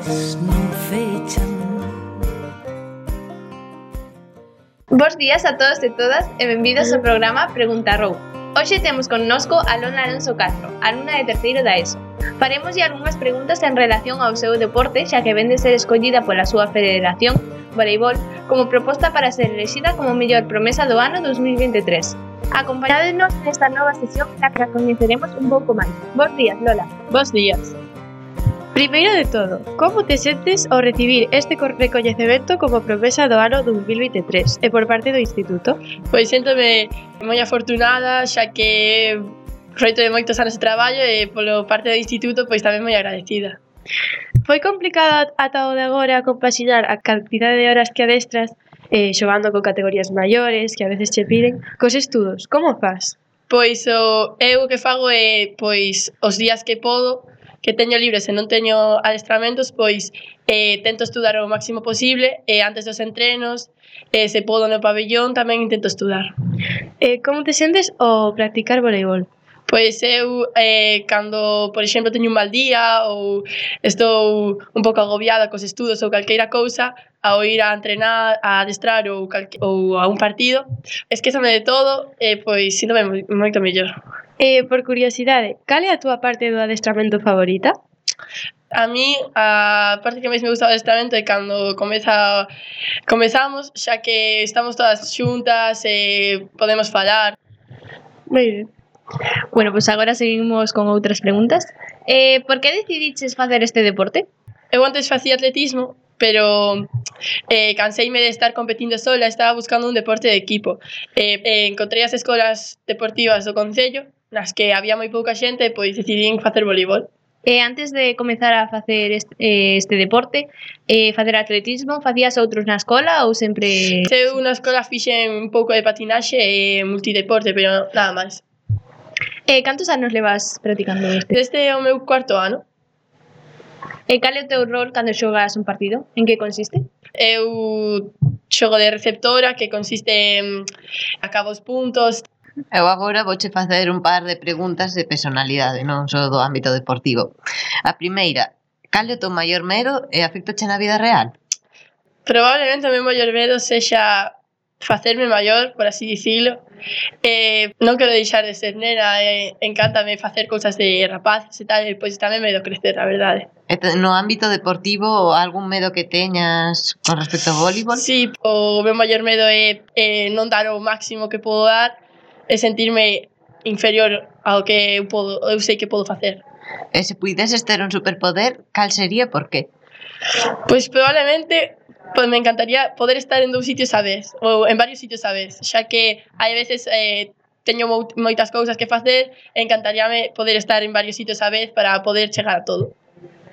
non fechan. Bos días a todos e todas e benvidos ao programa Pregunta Rou. Hoxe temos connosco a Lola Alonso Castro, alumna de terceiro da ESO. Faremoslle algunhas preguntas en relación ao seu deporte, xa que ven de ser escollida pola súa federación, voleibol, como proposta para ser elexida como mellor promesa do ano 2023. Acompañádenos nesta nova sesión na que a coñeceremos un pouco máis. Bos días, Lola. Bos días. Primeiro de todo, como te sentes ao recibir este recoñecemento como promesa do ano 2023 e por parte do Instituto? Pois séntome moi afortunada, xa que froito de moitos anos de traballo e polo parte do Instituto pois tamén moi agradecida. Foi complicado ata o de agora compaxinar a cantidade de horas que adestras xogando con categorías maiores que a veces che piden cos estudos, como fas? Pois eu o que fago é pois os días que podo, que teño libres e non teño adestramentos, pois tento estudar o máximo posible e antes dos entrenos, se podo no pabellón tamén intento estudar. Como te sentes ao practicar voleibol? Pois eu, cando, por exemplo, teño un mal día ou estou un pouco agobiada cos estudos ou calqueira cousa, ao ir a entrenar, a adestrar ou a un partido, esquézame de todo e pois síntome moito mellor. Por curiosidade, cal é a túa parte do adestramento favorita? A mí, a parte que máis me gusta do adestramento é cando comezamos, xa que estamos todas xuntas e podemos falar. Moi ben. Bueno, pois agora seguimos con outras preguntas. Por que decidiches facer este deporte? Eu antes facía atletismo, pero canseime de estar competindo sola, estaba buscando un deporte de equipo. Encontrei as escolas deportivas do concello, nas que había moi pouca xente, pois decidín facer voleibol. Antes de comezar a facer este deporte, facer atletismo, facías outros na escola ou sempre...? Eu na escola fixen un pouco de patinaxe e multideporte, pero nada máis. Cantos anos levas practicando este? Desde o meu cuarto ano. Cal é o teu rol cando xogas un partido? En que consiste? Eu xogo de receptora, que consiste en acabo os puntos. Eu agora vouche facer un par de preguntas de personalidade, non só do ámbito deportivo. A primeira, cal é o teu maior medo e afectache na vida real? Probablemente o meu maior medo sexa facerme maior, por así dicilo. Non quero deixar de ser nena, encántame facer cousas de rapaces e tal, e pois tamén medo crecer, a verdade. No ámbito deportivo, algún medo que teñas con respecto ao voleibol? Sí, o meu maior medo é non dar o máximo que podo dar e sentirme inferior ao que eu sei que podo facer. E se puideses ter un superpoder, cal sería e por qué? Pois probablemente me encantaría poder estar en dous sitios a vez, ou en varios sitios a vez, xa que hai veces teño moitas cousas que facer e encantaríame poder estar en varios sitios a vez para poder chegar a todo.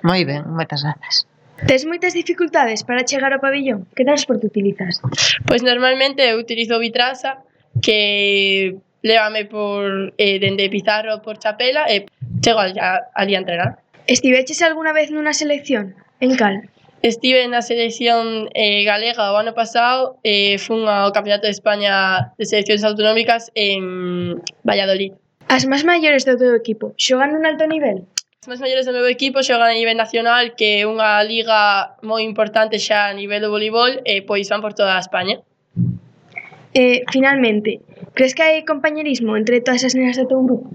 Moi ben, moitas grazas. Tes moitas dificultades para chegar ao pabellón? Que transporte utilizas? Pois normalmente eu utilizo Bitrasa, que lévame por dende Pizarro por Chapela e chego ali a entrenar. Estiveches algunha vez nunha selección? En cal? Estive na selección galega o ano pasado e fun ao Campeonato de España de Seleccións Autonómicas en Valladolid. As máis maiores do teu equipo xogan nun alto nivel? As máis maiores do meu equipo xogan a nivel nacional, que é unha liga moi importante xa a nivel do voleibol e pois van por toda a España. Finalmente, crees que hai compañerismo entre todas as nenas do teu grupo?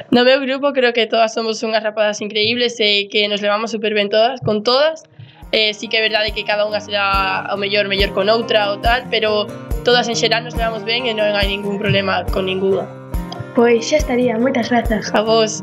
No meu grupo creo que todas somos unhas rapazas increíbles e que nos levamos super ben todas, con todas. Sí que é verdade que cada unha será ao mellor con outra ou tal, pero todas en xeral nos levamos ben e non hai ningún problema con ninguna. Pois xa estaría, moitas grazas. A vos.